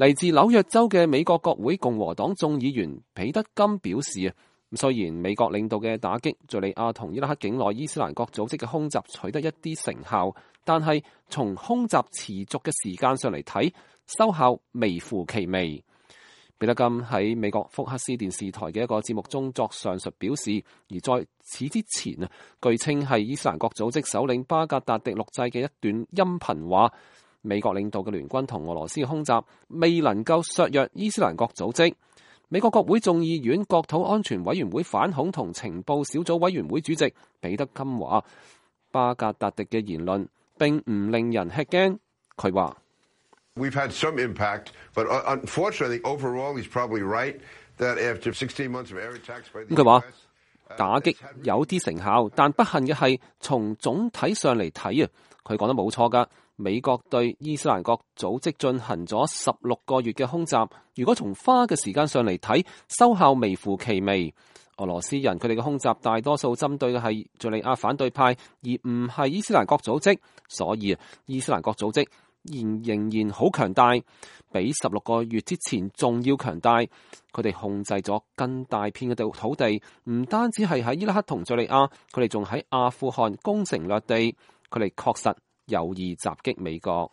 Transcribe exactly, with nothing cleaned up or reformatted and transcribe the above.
嚟自紐約州嘅美國國會共和黨眾議員彼得金表示啊，雖然美國領導嘅打擊敘利亞同伊拉克境內伊斯蘭國組織嘅空襲取得一啲成效，但係從空襲持續嘅時間上嚟睇，收效微乎其微。彼得金喺美國福克斯電視台嘅一個節目中作上述表示，而在此之前啊，據稱係伊斯蘭國組織首領巴格達迪錄製嘅一段音頻話，美國領導嘅聯軍同俄羅斯嘅空襲未能夠削弱伊斯蘭國組織。美國國會眾議院國土安全委員會反恐同情報小組委員會主席彼得金話，巴格達迪嘅言論並唔令人吃驚。佢話：We've had some impact, but unfortunately, overall, he's probably right that after sixteen months of air attacks by the 佢話打擊有啲成效，但不幸嘅係從總體上嚟睇啊，佢講得冇錯㗎。美國對伊斯蘭國組織進行咗十六個月嘅空襲，如果從花嘅時間上嚟睇，收效微乎其微。俄羅斯人佢哋嘅空襲大多數針對嘅係敘利亞反對派，而唔係伊斯蘭國組織，所以伊斯蘭國組織仍仍然好強大，比十六個月之前仲要強大。佢哋控制咗更大片嘅土地，唔單止係喺伊拉克同敘利亞，佢哋仲喺阿富汗攻城略地。佢哋確實有意襲擊美國。